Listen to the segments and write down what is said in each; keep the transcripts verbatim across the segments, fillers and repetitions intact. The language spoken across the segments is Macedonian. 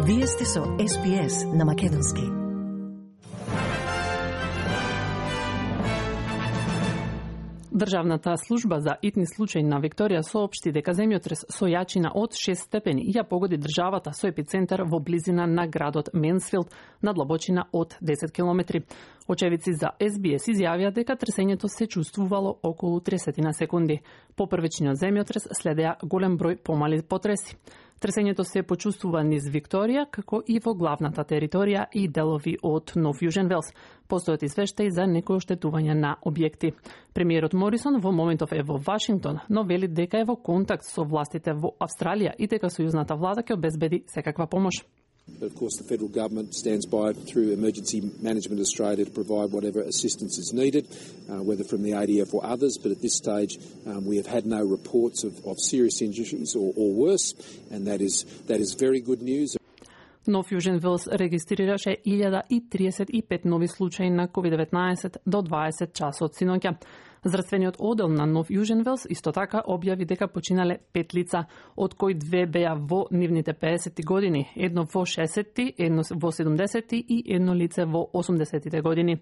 Вие сте со Ес Би Ес на Македонски. Државната служба за итни случаи на Викторија соопшти дека земјотрес со јачина од шест степени ја погоди државата со епицентар во близина на градот Менсфилд на длабочина од десет километри. Очевидци за Ес Би Ес изјавија дека тресењето се чувствувало околу тридесет секунди. По првичниот земјотрес следеа голем број помали потреси. Тресењето се почувствува низ Викторија, како и во главната територија и делови од Нов Јужен Велс. Постојат извештаи за некои оштетувања на објекти. Премиерот Морисон во моментов е во Вашингтон, но вели дека е во контакт со властите во Австралија и дека сојузната влада ќе обезбеди секаква помош. But of course the federal government stands by through Emergency Management Australia to provide whatever assistance is needed, uh, whether from the A D F or others, but at this stage um, we have had no reports of, of serious injuries or, or worse, and that is, that is very good news. Нов Јужен Велс регистрираше илјада и триесет и пет нови случаи на ковид деветнаесет до дваесет часот синоќа. Здравствениот одел на Нов Јужен Велс исто така објави дека починале пет лица, од кои две беа во нивните педесетти години, едно во шесетти, едно во седумдесетти и едно лице во осумдесеттите години.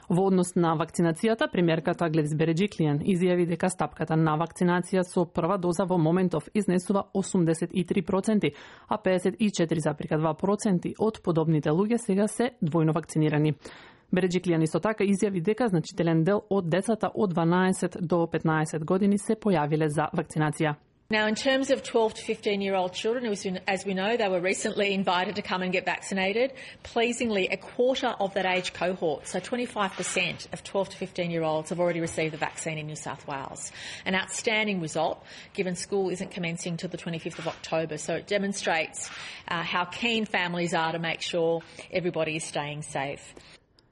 Во однос на вакцинацијата, премиерката Гледис Береджиклијан изјави дека стапката на вакцинација со прва доза во моментов изнесува осумдесет и три проценти, а педесет и четири зарез два проценти од подобните луѓе сега се двојно вакцинирани. Береджиклијан исто така изјави дека значителен дел од децата од дванаесет до петнаесет години се појавиле за вакцинација. Now, in terms of twelve to fifteen-year-old children, as we know, they were recently invited to come and get vaccinated. Pleasingly, a quarter of that age cohort, so twenty-five percent of twelve to fifteen-year-olds have already received the vaccine in New South Wales. An outstanding result, given school isn't commencing till the twenty-fifth of October. So it demonstrates uh, how keen families are to make sure everybody is staying safe.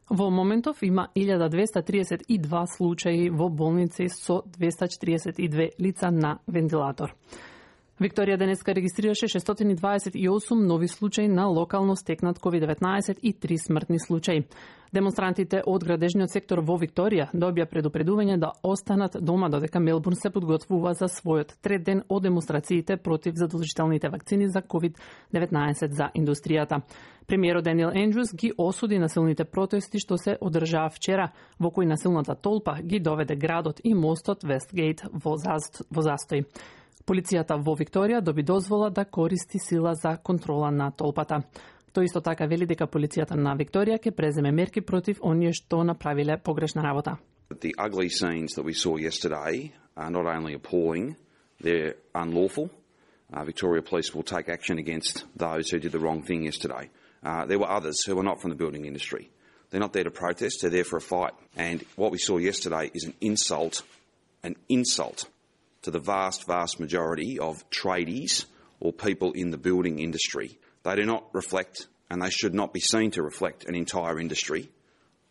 Во моментов има илјада двеста триесет и два случаи во болници со двеста четириесет и две лица на вентилатор. Викторија денеска регистрираше шестстотини и дваесет и осум нови случаи на локално стекнат ковид деветнаесет и три смртни случаи. Демонстрантите од градежниот сектор во Викторија добија предупредување да останат дома додека Мелбурн се подготвува за својот трет ден од демонстрациите против задолжителните вакцини за ковид деветнаесет за индустријата. Премиерот Даниел Ендрюс ги осуди насилните протести што се одржаа вчера, во кои насилната толпа ги доведе градот и мостот Вестгейт во застој. Полицијата во Викторија доби дозвола да користи сила за контрола на толпата. Тој исто така вели дека полицијата на Викторија ќе преземе мерки против оние што направиле погрешна работа. The ugly scenes that we saw yesterday are not only appalling, they're unlawful. Uh, Victoria Police will take action against those who did the wrong thing yesterday. Uh, there were others who were not from the building industry. They're not there to protest, they're there for a fight. And what we saw yesterday is an insult, an insult to the vast, vast majority of tradies or people in the building industry. They do not reflect, and they should not be seen to reflect, an entire industry.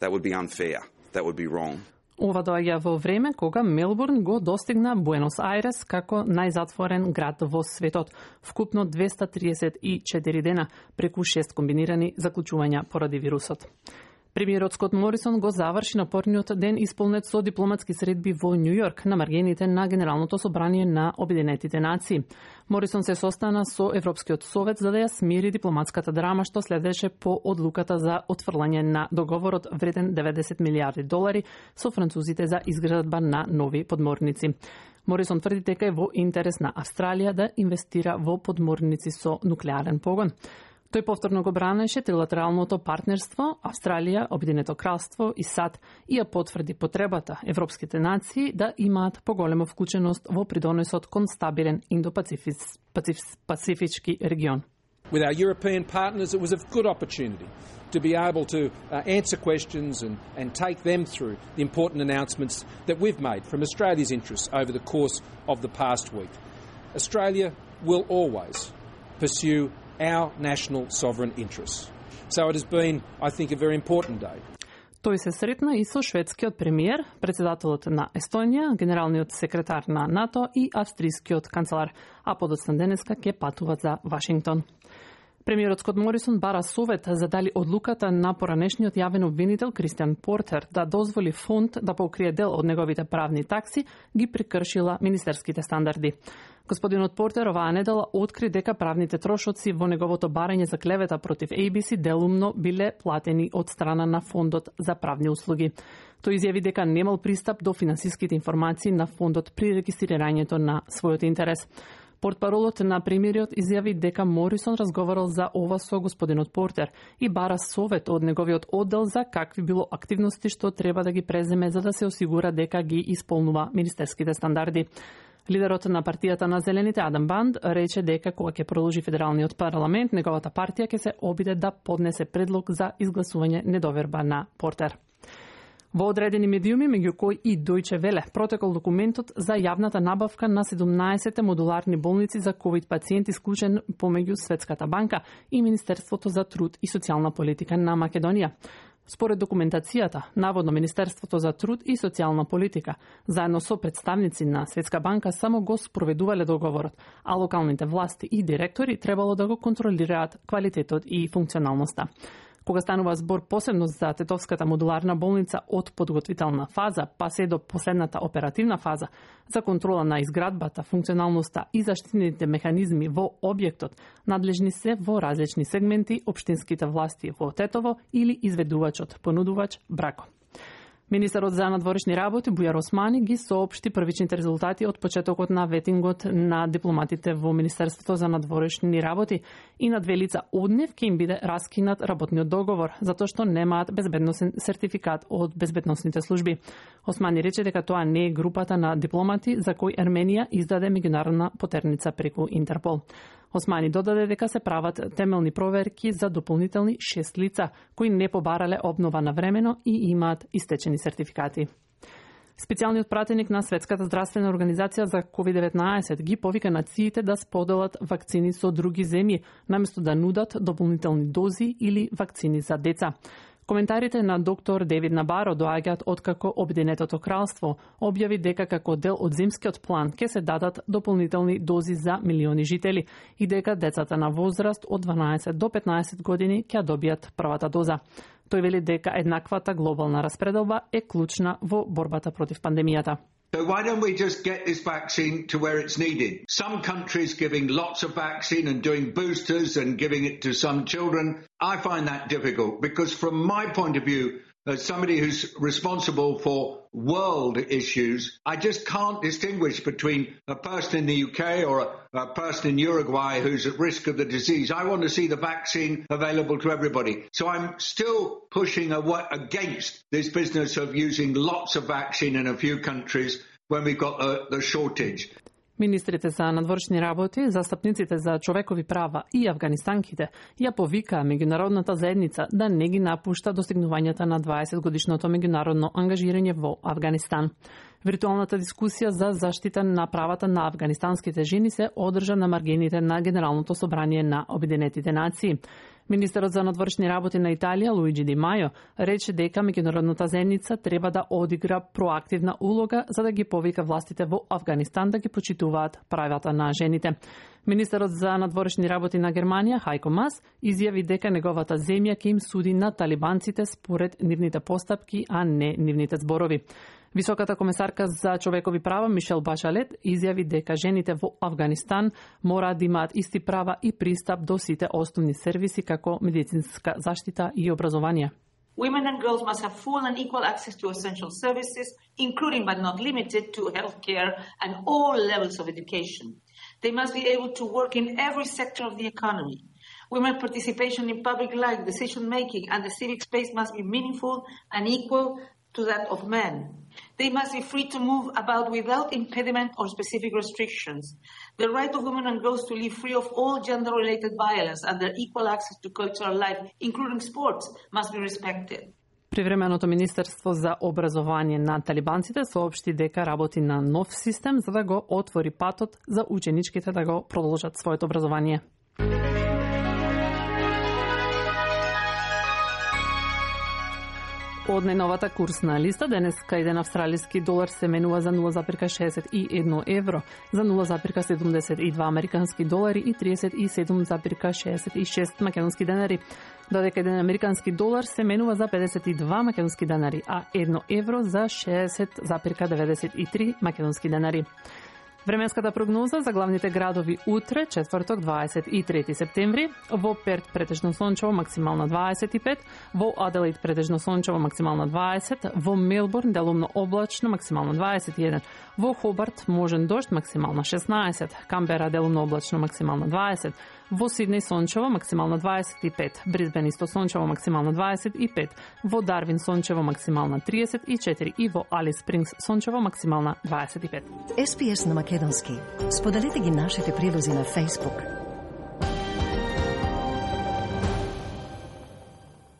That would be unfair. That would be wrong. Ова доаѓа во време кога Мелбурн го достигна Буенос Ајрес како најзатворен град во светот, вкупно двеста триесет и четири дена, преку шест комбинирани заклучувања поради вирусот. Премиерот Скот Морисон го заврши напорниот ден исполнет со дипломатски средби во Њу Јорк на маргините на Генералното собрание на Обединетите нации. Морисон се состана со Европскиот совет за да ја смири дипломатската драма што следеше по одлуката за отфрлање на договорот вреден деветдесет милијарди долари со французите за изградба на нови подморници. Морисон тврди дека е во интерес на Австралија да инвестира во подморници со нуклеарен погон. Тој повторно го бранеше трилатералното партнерство, Австралија, Обединето кралство и САД и ја потврди потребата европските нации да имаат поголема вклученост во придонесот кон стабилен индо-пацифички регион. With our European partners, it was a good opportunity to be able to uh, answer questions and, and take them through the important announcements that we've made from Australia's interests over the course of the past week. Australia will always pursue our national sovereign interests. So it has been, I think, a very important day. Тој се сретна и со шведскиот премиер, председателот на Естонија, генералниот секретар на НАТО и австрискиот канцелар, а подоцна денеска ќе патуваат за Вашингтон. Премиерот Скот Морисон бара совет за дали одлуката на поранешниот јавен обвинител Кристијан Портер да дозволи фонд да покрие дел од неговите правни такси ги прекршила министерските стандарди. Господинот Портер оваа недела откри дека правните трошоци во неговото барање за клевета против Ей Би Си делумно биле платени од страна на Фондот за правни услуги. Тој изјави дека немал пристап до финансиските информации на фондот при регистрирањето на својот интерес. Портпаролот на премиерот изјави дека Морисон разговарал за ова со господинот Портер и бара совет од неговиот оддел за какви било активности што треба да ги преземе за да се осигура дека ги исполнува министерските стандарди. Лидерот на партијата на Зелените Адам Банд рече дека кога ќе продолжи федералниот парламент, неговата партија ќе се обиде да поднесе предлог за изгласување недоверба на Портер. Во одредени медиуми, меѓу кои и Дојче Веле, протекол документот за јавната набавка на седумнаесет модуларни болници за ковид пациенти склучен помеѓу Светската банка и Министерството за труд и социјална политика на Македонија. Според документацијата, наводно Министерството за труд и социјална политика, заедно со представници на Светска банка, само го спроведувале договорот, а локалните власти и директори требало да го контролираат квалитетот и функционалноста. Кога станува збор посебно за Тетовската модуларна болница од подготвителна фаза, па се до последната оперативна фаза, за контрола на изградбата, функционалноста и заштитните механизми во објектот, надлежни се во различни сегменти општинските власти во Тетово или изведувачот, понудувач Брако. Министерот за надворешни работи Бујар Османи ги соопшти првичните резултати од почетокот на ветингот на дипломатите во Министерството за надворешни работи и на две лица од нив ќе им биде раскинат работниот договор, затоа што немаат безбедносен сертификат од безбедносните служби. Османи рече дека тоа не е групата на дипломати за кои Ерменија издаде меѓународна потерница преку Интерпол. Османи додаде дека се прават темелни проверки за дополнителни шест лица кои не побарале обнова на времено и имаат истечени сертификати. Специјалниот пратеник на Светската здравствена организација за ковид деветнаесет ги повика нациите да споделат вакцини со други земји, наместо да нудат дополнителни дози или вакцини за деца. Коментарите на доктор Девид Набаро доаѓаат откако Обединетото кралство објави дека како дел од зимскиот план ќе се дадат дополнителни дози за милиони жители и дека децата на возраст од дванаесет до петнаесет години ќе добијат првата доза. Тој вели дека еднаквата глобална распределба е клучна во борбата против пандемијата. So why don't we just get this vaccine to where it's needed? Some countries giving lots of vaccine and doing boosters and giving it to some children. I find that difficult because from my point of view, as somebody who's responsible for world issues, I just can't distinguish between a person in the U K or a, a person in Uruguay who's at risk of the disease. I want to see the vaccine available to everybody. So I'm still pushing away against this business of using lots of vaccine in a few countries when we've got the, the shortage. Министрите за надворешни работи, застапниците за човекови права и афганистанките ја повикаа меѓународната заедница да не ги напушта достигнувањата на дваесет годишното меѓународно ангажирање во Авганистан. Виртуалната дискусија за заштита на правата на афганистанските жени се одржа на маргините на Генералното собрание на Обединетите нации. Министерот за надворешни работи на Италија, Луиджи Ди Мајо, рече дека меѓународната заедница треба да одигра проактивна улога за да ги повика властите во Авганистан да ги почитуваат правата на жените. Министерот за надворешни работи на Германија, Хајко Мас, изјави дека неговата земја ќе им суди на талибанците според нивните постапки, а не нивните зборови. Високата комесарка за човекови права Мишел Башалет изјави дека жените во Авганистан мора да имаат исти права и пристап до сите основни сервиси како медицинска заштита и образование. Women and girls must have full and equal access to essential services, including but not limited to healthcare and all levels of education. They must be able to work in every sector of the economy. Women's participation in public life, decision-making, and the civic space must be meaningful and equal to that of men. They must be free to move about without impediment or specific restrictions. The right of women and girls to live free of all gender-related violence and their equal access to cultural life, including sports, must be respected. Привременото Министерство за образование на талибанците соопшти дека работи на нов систем за да го отвори патот за ученичките да го продолжат своето образование. Од најновата курсна листа, денеска еден австралиски долар се менува за нула запирка шеесет и едно евро, за нула запирка седумдесет и два американски долари и тридесет и седум запирка шеесет и шест македонски денари, додека еден американски долар се менува за педесет и два македонски денари, а едно евро за шеесет запирка деветдесет и три македонски денари. Временската прогноза за главните градови утре, четврток, дваесет и трети септември, во Перт претежно сончево, максимално дваесет и пет, во Аделаид претежно сончево, максимално дваесет, во Мелбурн делумно облачно, максимално дваесет и еден, во Хобарт можен дожд, максимално шеснаесет, Камбера делумно облачно, максимално дваесет, во Сиднеј сончево, максимално дваесет и пет, Брисбен исто сончево, максимално дваесет и пет, во Дарвин сончево, максимално триесет и четири и во Алис Спрингс сончево, максимално дваесет и пет. Ес Би Ес на македонски. Споделете ги нашите прилози на Facebook,